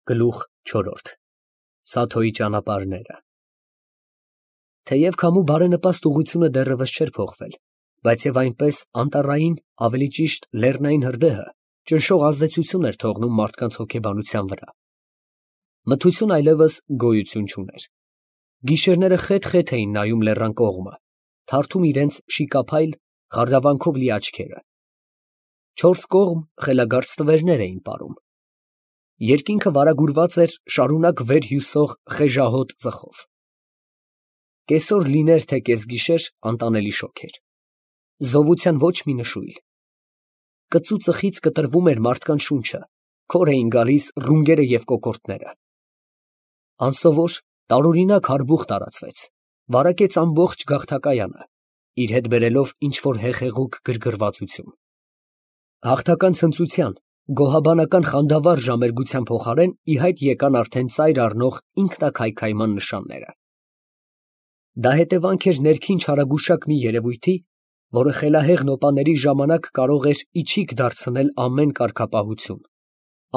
Գլուխ 4 Սաթոյի ճանապարհները Թեև քամու բարենպաստ ուղղությունը դեռևս չէր փոխվել, բայց և այնպես անտառային, ավելի ճիշտ լեռնային հրդեհը ճնշող ազդեցություն էր թողնում մարդկանց հոգեբանության վրա։ Մթություն այլևս գոյություն չուներ։ Գիշերները խեթ-խեթ էին նայում լեռան կողմը, թարթում իրենց շիկափայլ, խարդավանքով լի աչքերը։ Չորս կողմ խելագար ստվերներ էին պարում։ Երկինքը վարագուրված էր շարունակ վեր հյուսող խեժահոտ ծխով։ Կեսօր լիներ, թե կեսգիշեր, անտանելի շոգ էր։ Զովության ոչ մի նշույլ։ Կծու ծխից կտրվում էր մարդկանց շունչը, քոր էին գալիս ռունգերը և կոկորդները։ Անսովոր, տարօրինակ հարբուխ տարածվեց, վարակեց ամբողջ գաղթակայանը, իր հետ բերելով ինչ֊որ հեղեղուկ գրգռվածություն։ Հաղթական ցնծության, գոհաբանական խանդավառ ժամերգության փոխարեն ի հայտ եկան արդեն ծայր առնող ինքնակայքայման նշանները։ Դա հետևանք էր ներքին չարագուշակ մի երևույթի, որը խելահեղ նոպաների ժամանակ կարող էր իչիք դարձնել ամեն կարգապահություն,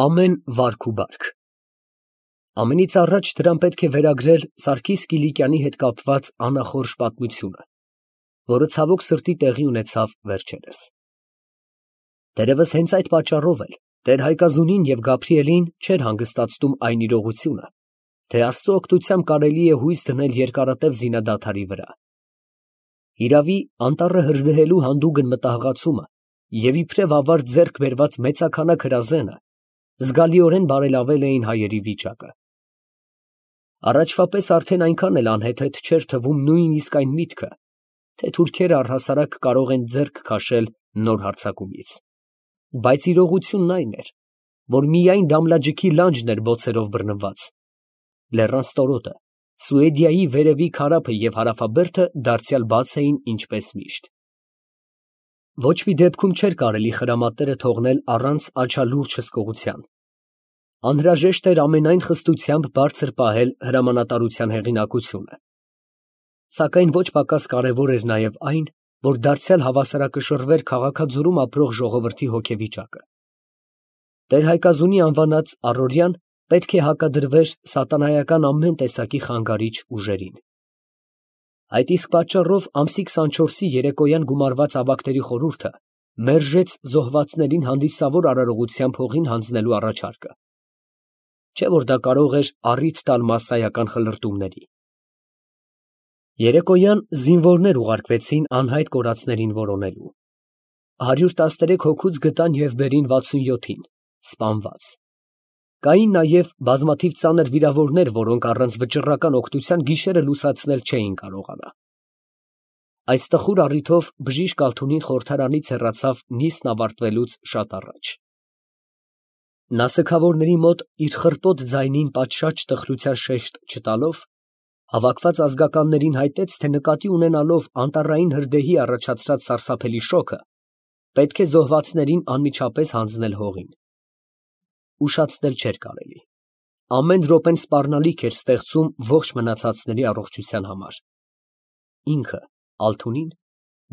ամեն վարք ու բարք։ Ամենից առաջ դրան պետք է վերագրել Սարգիս Կիլիկյանի հետ կապված անախորժ պատմությունը, որը ցավոք սրտի տեղի ունեցավ վերջերս։ Դերևս հենց այդ պատճառով էլ տեր Հայկազունին և Գաբրիելին չէր հանգստացնում այն իրողությունը, թե Աստծու օգնությամբ կարելի է հույս դնել երկարատև զինադադարի վրա։ Հիրավի, անտառը հրդեհելու հանդուգն մտահղացումը և իբրև ավարտ ձեռք բերված մեծաքանակ հրազենը զգալիորեն բարելավել էին հայերի վիճակը։ Առաջվա պես արդեն այնքան էլ անհեթեթ չէր թվում նույնիսկ այն միտքը, թե թուրքերը առհասարակ կարող են ձեռք քաշել նոր հարձակումից։ Բայց իրողությունն այն էր, որ միայն Դամլաջիքի լանջն էր բոցերով բռնված։ Լեռան ստորոտը, Սուեդիայի վերևի քարափը և հարավաբերդը դարձյալ բաց էին ինչպես միշտ։ Ոչ մի դեպքում չէր կարելի խրամատները թողնել առանց աչալուրջ հսկողության։ Անհրաժեշտ էր ամենայն խստությամբ բարձր պահել հրամանատարության հեղինակությունը։ Սակայն ոչ պակաս կարևոր էր նաև այն, որ դարձյալ հավասարակշռվեր քաղաքաձորում ապրող ժողովրդի հոգեվիճակը։ Տեր Հայկազունի անվանած առօրյան պետք է հակադրվեր սատանայական ամեն տեսակի խանգարիչ ուժերին։ Այդ իսկ պատճառով ամսի 24-ի երեկոյան գումարված ավագների խորհուրդը մերժեց զոհվածներին հանդիսավոր արարողությամբ հողին հանձնելու առաջարկը։ Չէ՞ որ դա կարող էր առիթ տալ մասսայական խլրտումների։ Երեկոյան զինվորներ ուղարկվեցին անհայտ կորածներին որոնելու։ 113 հոգուց գտան և բերին 67-ին, սպանված։ Կային նաև բազմաթիվ ծանր վիրավորներ, որոնք առանց վճռական օգնության գիշերը լուսացնել չէին կարողանա։ Այս տխուր առիթով բժիշկ Ալթունին խորհրդարանից հեռացավ նիստն ավարտվելուց շատ առաջ։ Նա սգավորների մոտ իր խռպոտ ձայնին պատշաճ տխրության շեշտ չտալով, հավաքված ազգականներին հայտեց, թե նկատի ունենալով անտառային հրդեհի առաջացրած սարսափելի շոկը, պետք է զոհվածներին անմիջապես հանձնել հողին։ Ուշացնել չէր կարելի։ Ամեն րոպեն սպառնալիք էր ստեղծում ողջ մնացածների առողջության համար։ Ինքը, Ալթունին,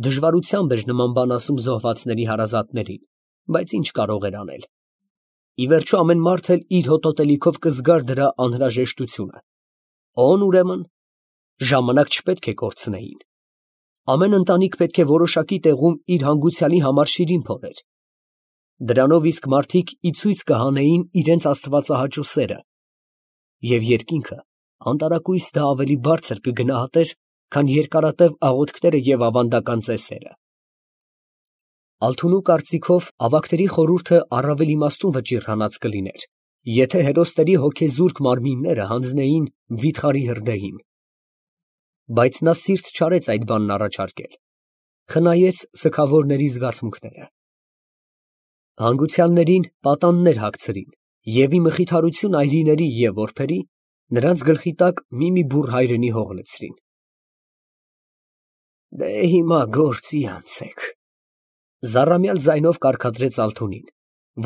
դժվարությամբ էր նման բան ասում զոհվածների հարազատներին, բայց ինչ կարող էր անել։ Ի վերջո ամեն մարդ էլ իր հոտոտելիքով կզգար դրա անհրաժեշտությունը։ Օն ուրեմն, ժամանակ չպետք է կորցնեին։ Ամեն ընտանիք պետք է որոշակի տեղում իր հանգուցյալի համար շիրին փորեր։ Դրանով իսկ մարդիկ ի ցույց կհանեին իրենց աստվածահաճո սերը, և երկինքը անտարակույս դա ավելի բարձր կգնահատեր, քան երկարատև աղոթքները և ավանդական ծեսերը։ Ալթունու կարծիքով ավագների խորհուրդը առավել իմաստուն վճիռանած կլիներ, եթե հերոսների հոգեզուրկ մարմինները հանձնեին վիթխարի հրդեհին։ Բայց նա սիրտ չարեց այդ բանն առաջարկել, խնայեց սգավորների զգացմունքները։ Հանգուցյալներին պատաններ հագցրին և ի մխիթարություն այրիների և որբերի, նրանց գլխի տակ մի բուռ հայրենի հող լցրին։ Դե հիմա գործի անցեք, զառամյալ ձայնով կարգադրեց Ալթունին,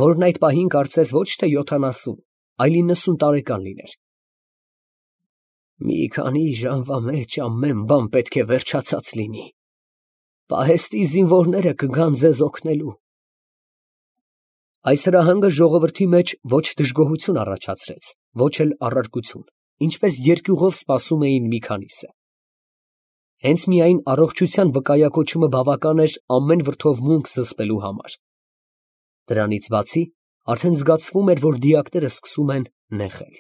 որն այդ պահին կարծես ոչ թե 70, այլ 90 տարեկան լիներ։ Մի քանի ժամվա մեջ ամեն բան պետք է վերջացած լինի։ Պահեստի զինվորները կգան ձեզ օգնելու։ Այս հրահանգը ժողովրդի մեջ ոչ դժգոհություն առաջացրեց, ոչ էլ առարկություն, ինչպես երկյուղով սպասում էին մի քանիսը։ Հենց միայն առողջության վկայակոչումը բավական էր ամեն վրդովմունք զսպելու համար։ Դրանից բացի, արդեն զգացվում էր, որ դիակները սկսում են նեղել։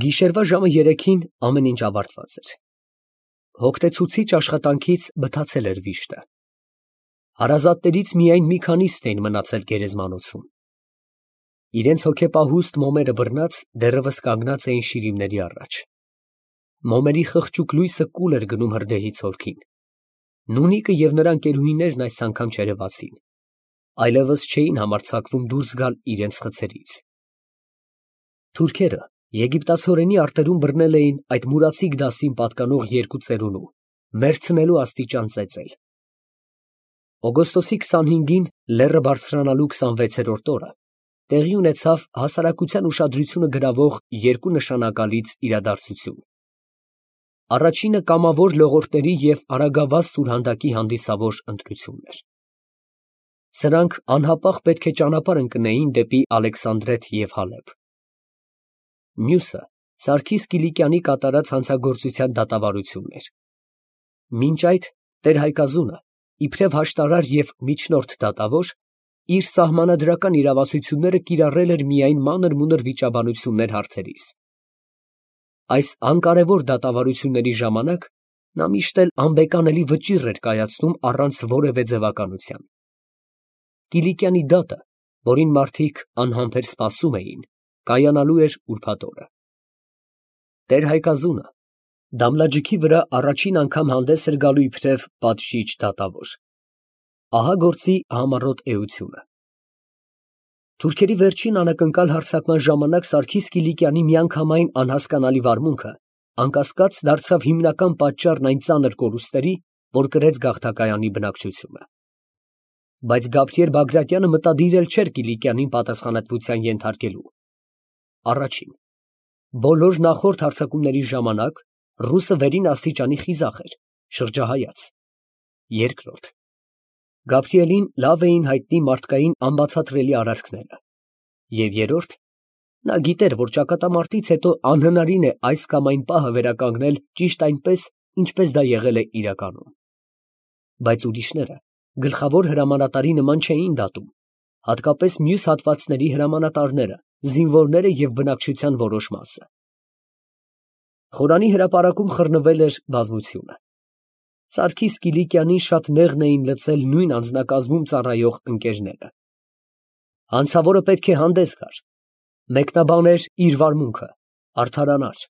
Գիշերվա ժամը 3-ին ամեն ինչ ավարտված էր։ Հոգնեցուցիչ աշխատանքից բթացել էր վիշտը։ Հարազատներից միայն մի քանիսն էին մնացել գերեզմանոցում։ Իրենց հոգեպահուստ մոմերը բռնած դեռևս կանգնած էին շիրիմների առաջ։ Մոմերի խղճուկ լույսը կուլ էր գնում հրդեհի ցորքին։ Նունիկը և նրա ընկերուհիներն այս անգամ չերևացին, այլևս չէին համարձակվում դուրս գալ իրենց խցերից։ Թուրքերը եգիպտացորենի արտերում բռնել էին այդ մուրացիկ դասին պատկանող երկու ծերունու, մեռցնելու աստիճան ծեծել։ Օգոստոսի 25-ին լեռը բարձրանալու 26-րդ օրը տեղի ունեցավ հասարակության ուշադրությունը գրավող երկու նշանակալից իրադարձություն։ Առաջինը կամավոր լողորտների և արագավազ սուրհանդակի հանդիսավոր ընտրությունն էր։ Սրանք անհապաղ պետք է ճանապարհ ընկնեին դեպի Ալեքսանդրետ և Հալեբ։ Մյուսը Սարգիս Կիլիկյանի կատարած հանցագործության դատավարությունն էր։ Մինչ այդ տեր Հայկազունը, իբրև հաշտարար և միջնորդ դատավոր, իր սահմանադրական իրավասությունները կիրառել էր միայն մանր-մունր վիճաբանություններ հարցերիս։ Այս անկարևոր դատավարությունների ժամանակ նա միշտ էլ անբեկանելի վճիռ էր կայացնում առանց որևէ ձևականության։ Կիլիկյանի դատը, որին մարդիկ անհամբեր սպասում էին, կայանալու էր ուրբաթ օրը։ Տեր Հայկազունը դամլաջիքի վրա առաջին անգամ հանդես էր գալու իբրև պատժիչ դատավոր։ Ահա գործի համառոտ էությունը։ Թուրքերի վերջին անակնկալ հարձակման ժամանակ Սարգիս Կիլիկյանի միանգամայն անհասկանալի վարմունքը անկասկած դարձավ հիմնական պատճառն այն ծանր կորուստերի, որ կրեց գաղթակայանի բնակչությունը։ Բայց Գաբրիել Բագրատյանը մտադիր էլ չէր Կիլիկյանին պատասխանատվության ենթարկելու։ Առաջին, բոլոր նախորդ հարձակումների ժամանակ ռուսը վերին աստիճանի խիզախ էր, շրջահայաց։ Երկրորդ, Գաբրիելին լավ էին հայտնի մարդկային անբացատրելի արարքները։ Եվ երրորդ, նա գիտեր, որ ճակատամարտից հետո անհնարին է այս կամ այն պահը վերականգնել ճիշտ այնպես, ինչպես դա եղել է իրականում։ Բայց ուրիշները գլխավոր հրամանատարի նման չէին դատում, հատկապես մյուս հատվածների հրամանատարները, զինվորները և բնակչության որոշ մասը։ Խորանի հրապարակում խռնվել էր բազմությունը։ Սարգիս Կիլիկյանին շատ նեղն էին լցել նույն անձնակազմում ծառայող ընկերները։ Հանցավորը պետք է հանդես գար, մեկնաբաներ իր վարմունքը, արդարանար։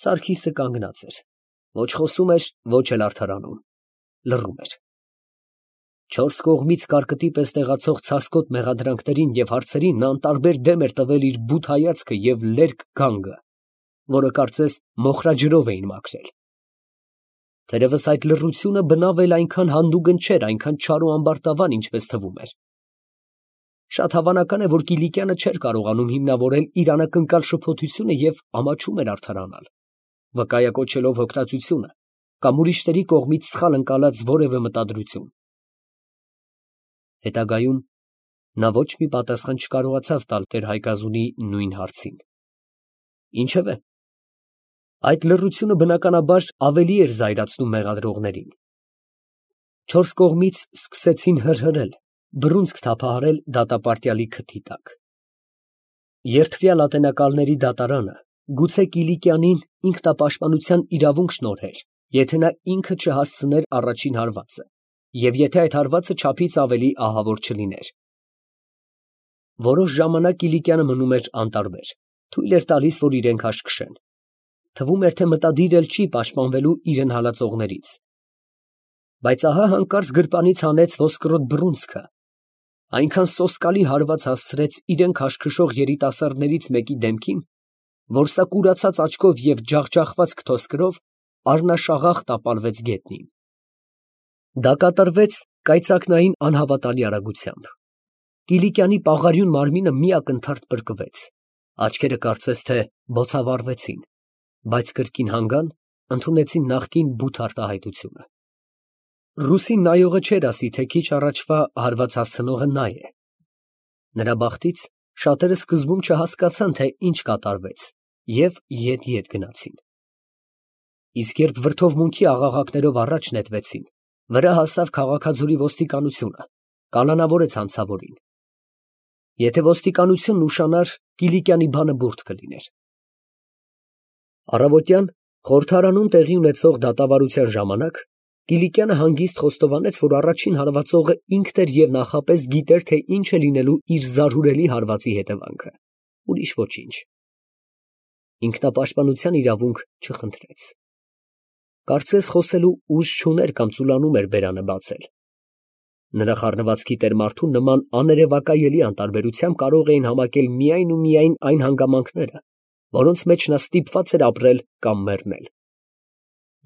Սարգիսը կանգնած էր, ոչ խոսում էր, ոչ էլ արդարանում, լռում էր։ Չորս կողմից կարկտի պես տեղացող ցասկոտ մեղադրանքներին և հարցերին նա անտարբեր դեմ էր տվել իր բութ հայացքը և լերկ գանգը, որը կարծես մոխրաջրով էին մաքրել։ Թերևս այդ լռությունը բնավ էլ այնքան հանդուգն չէր, այնքան չար ու ամբարտավան, ինչպես թվում էր։ Շատ հավանական է, որ Կիլիկյանը չէր կարողանում հիմնավորել իր անակնկալ շփոթությունը և ամաչում էր արդարանալ, վկայակոչելով հոգնածությունը կամ ուրիշների կողմից սխալ ընկալած որևէ մտադրություն։ Հետագայում նա ոչ մի պատասխան չկարողացավ տալ տեր Հայկազունի նույն հարցին։ Ինչևէ, այդ լռությունը բնականաբար ավելի էր զայրացնում մեղադրողներին։ Չորս կողմից սկսեցին հրհրել, բռունցք թափահարել դատապարտյալի քթի տակ։ Երդվյալ ատենակալների դատարանը գուցե Կիլիկյանին ինքնապաշտպանության իրավունք շնորհեր, եթե նա ինքը չհասցներ առաջին հարվածը, և եթե այդ հարվածը չափից ավելի ահավոր չլիներ։ Որոշ ժամանակ Կիլիկյանը մնում էր անտարբեր, թույլ էր տալիս, որ իրեն քաշքշեն։ Թվում էր, թե մտադիր էլ չի պաշտպանվելու իրեն հալածողներից։ Բայց ահա հանկարծ գրպանից հանեց ոսկրոտ բռունցքը, այնքան սոսկալի հարված հասցրեց իրեն քաշքշող երիտասարդներից մեկի դեմքին, որ սա կուրացած աչքով և ջախջախված քթոսկրով առնաշաղախ տապալվեց գետնին։ Դա կատարվեց կայծակնային անհավատալի արագությամբ։ Կիլիկյանի պաղարյուն մարմինը մի ակնթարթ պրկվեց, աչքերը կարծես թե բոցավառվեցին, բայց կրկին հանգան ընդունեցին նախկին բութ արտահայտությունը։ Ռուսին նայողը չէր ասի, թե քիչ առաջվա հարված հասցնողը նա է։ Նրա բախտից շատերը սկզբում չհասկացան, թե ինչ կատարվեց, և ետ գնացին։ Իսկ երբ վրդովմունքի աղաղակներով առաջ նետվեցին, վրա հասավ քաղաքաձորի ոստիկանությունը, կանանավորեց հանցավորին։ Եթե ոստիկանությունն ուշանար, Կիլիկյանի բանը բուրդ կլիներ։ Առավոտյան խորհրդարանում տեղի ունեցող դատավարության ժամանակ Կիլիկյանը հանգիստ խոստովանեց, որ առաջին հարվածողը ինքն էր և նախապես գիտեր, թե ինչ է լինելու իր զարհուրելի հարվածի հետևանքը, ուրիշ ոչինչ։ Ինքնապաշտպանության իրավունք չխնդրեց։ Կարծես խոսելու ուժ չուներ կամ ծուլանում էր բերանը բացել։ Նրա խառնվածքի տեր-մարդու նման աներևակայելի անտարբերությամբ կարող էին համակել միայն ու միայն այն հանգամանքները, որոնց մեջ նա ստիպված էր ապրել կամ մեռնել։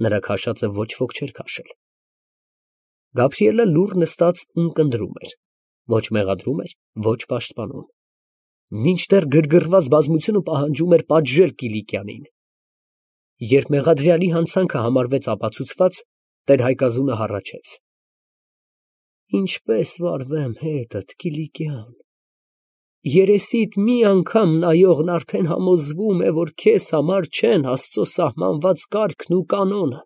Նրա քաշածը ոչ ոք չէր քաշել։ Գաբրիելը լուռ նստած ունկնդրում էր, ոչ մեղադրում էր, ոչ պաշտպանում։ Մինչդեռ գրգռված բազմությունը պահանջում էր պատժել Կիլիկյանին։ Երբ մեղադրյալի հանցանքը համարվեց ապացուցված, տեր֊Հայկազունը հառաչեց. Ինչպես վարվեմ հետդ, Կիլիկյան, երեսիդ մի անգամ նայողն արդեն համոզվում է, որ քեզ համար չեն Աստծո սահմանված կարգն ու կանոնը։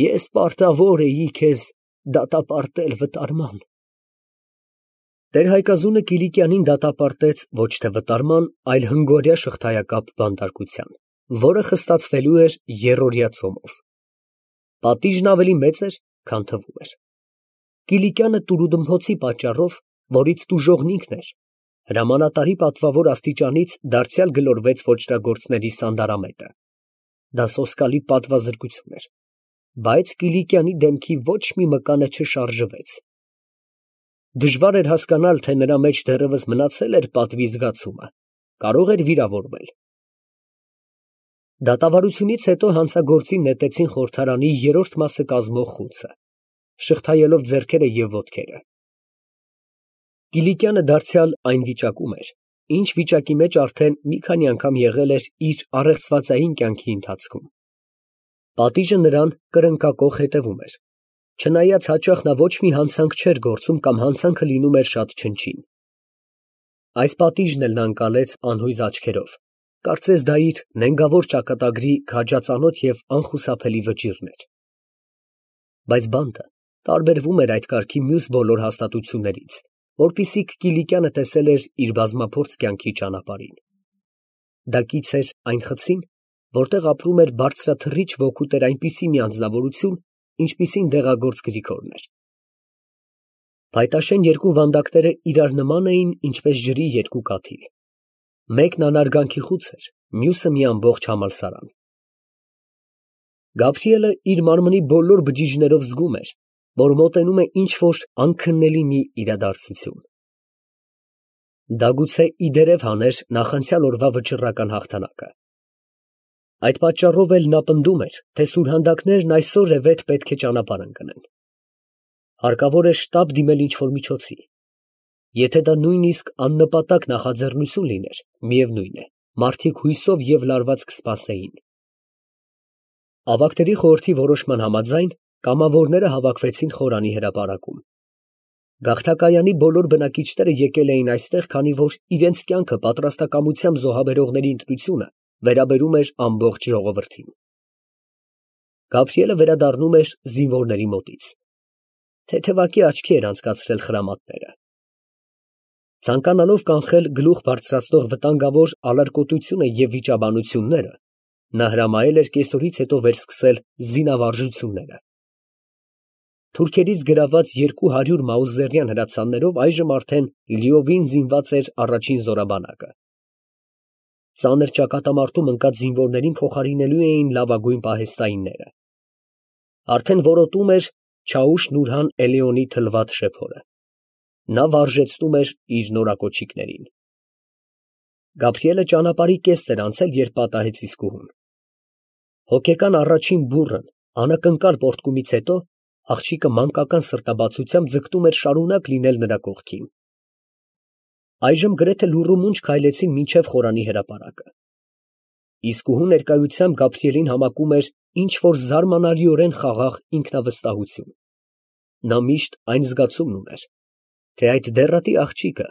Ես պարտավոր էի քեզ դատապարտել վտարման։ Տեր֊Հայկազունը Կիլիկյանին դատապարտեց ոչ թե վտարման, այլ հնգօրյա շղթայակապ բանտարկության, որը խստացվելու էր եռօրյա ծոմով։ Պատիժն ավելի մեծ էր, քան թվում էր։ Կիլիկյանը տուրուդմփոցի պատճառով, որից տուժողն ինքն էր, հրամանատարի պատվավոր աստիճանից դարձյալ գլորվեց ոճրագործների սանդարամետը։ Դա սոսկալի պատվազրկություն էր, բայց Կիլիկյանի դեմքի ոչ մի մկանը չշարժվեց։ Դժվար էր հասկանալ, թե նրա մեջ դեռևս մնացել էր պատվի զգացումը, կարող էր վիրավորվել։ Դատավարությունից հետո հանցագործին նետեցին խորհրդարանի երրորդ մասը կազմող խուցը, շղթայելով ձեռքերը և ոտքերը։ Կիլիկյանը դարձյալ այն վիճակում էր, ինչ վիճակի մեջ արդեն մի քանի անգամ եղել էր իր առեղծվածային կյանքի ընթացքում։ Պատիժը նրան կրնկակոխ հետևում էր, չնայած հաճախ նա ոչ մի հանցանք չէր գործում կամ հանցանքը լինում էր շատ չնչին։ Այս պատիժն էլ նա ընկալեց անհույզ աչքերով, կարծես դա իր նենգավոր ճակատագրի քաջածանոթ և անխուսափելի վճիռն էր։ Բայց բանտը տարբերվում էր այդ կարգի մյուս բոլոր հաստատություններից, որպիսիք Կիլիկյանը տեսել էր իր բազմափորձ կյանքի ճանապարհին։ Դա կից էր այն խցին, որտեղ ապրում էր բարձրաթռիչ ոգու տեր այնպիսի մի անձնավորություն, ինչպիսին դեղագործ Գրիգորն էր։ Փայտաշեն երկու վանդակները իրար նման էին, ինչպես ջրի երկու կաթիլ։ Մեկն անարգանքի խուց էր, մյուսը մի ամբողջ համալսարան։ Գաբրիելը իր մարմնի բոլոր բջիջներով զգում էր, որ մոտենում է ինչ֊որ անքննելի մի իրադարձություն։ Դա գուցե իդերև հաներ նախանցյալ օրվա վճռական հաղթանակը։ Այդ պատճառով էլ նա պնդում էր, թե սուրհանդակներն այսօր է վեթ պետք է ճանապարհ ընկնեն։ Հարկավոր է շտապ դիմել ինչ֊որ միջոցի։ Եթե դա նույնիսկ աննպատակ նախաձեռնություն լիներ, միևնույն է, մարդիկ հույսով և լարված կսպասեին։ Ավագների խորհրդի որոշման համաձայն կամավորները հավաքվեցին խորանի հրապարակում։ Գաղթակայանի բոլոր բնակիչները եկել էին այստեղ, քանի որ իրենց կյանքը պատրաստակամությամբ զոհաբերողների ընտրությունը վերաբերում էր ամբողջ ժողովրդին։ Գաբրիելը վերադառնում էր զինվորների մոտից։ Թեթևակի աչքի էր անցկացրել խրամատները։ Ցանկանալով կանխել գլուխ բարձրացնող վտանգավոր ալարկոտությունը և վիճաբանությունները, նա հրամայել էր կեսօրից հետո վերսկսել զինավարժությունները։ Թուրքերից գրաված 200 մաուզերյան հրացաններով այժմ արդեն լիովին զինված էր առաջին զորաբանակը։ Ծանր ճակատամարտում ընկած զինվորներին փոխարինելու էին լավագույն պահեստայինները։ Արդեն որոտում էր Չաուշ֊Նուրհան Էլեոնի թլվատ շեփորը։ Նա վարժեցնում էր իր նորակոչիկներին։ Գաբրիելը ճանապարհի կեսն էր անցել, երբ պատահեց իսկուհուն։ Հոգեկան առաջին բուռն անակնկալ պոռթկումից հետո աղջիկը մանկական սրտաբացությամբ ձգտում էր շարունակ լինել նրա կողքին։ Այժմ գրեթե լուռումունջ քայլեցին մինչև խորանի հրապարակը։ Իսկուհու ներկայությամբ Գաբրիելին համակում էր ինչ-որ զարմանալիորեն խաղաղ ինքնավստահություն։ Նա միշտ այն զգացումն ուներ, թե այդ դեռատի աղջիկը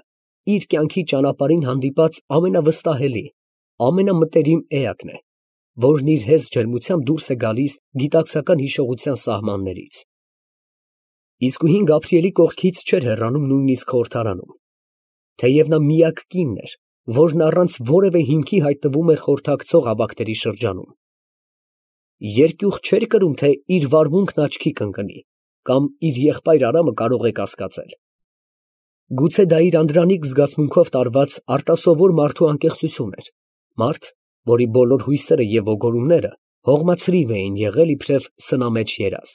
իր կյանքի ճանապարհին հանդիպած ամենավստահելի, ամենամտերիմ էակն է, որն իր հեզ ջերմությամբ դուրս է գալիս գիտակցական հիշողության սահմաններից։ Իսկույն Գաբրիելի կողքից չէր հեռանում նույնիսկ խորհրդարանում, թեև նա միակ կինն էր, որն առանց որևէ հիմքի հայտնվում էր խորհրդակցող ավագների շրջանում։ Երկյուղ չէր կրում, թե իր վարմունքն աչքի կընկնի, կամ իր եղբայր Արամը կարող է կասկածել։ Գուցե դա իր անդրանիկ զգացմունքով տարված արտասովոր մարդու անկեղծություն էր, մարդ, որի բոլոր հույսերը և ոգորումները հողմացրիվ էին եղել իբրև սնամեջ երազ։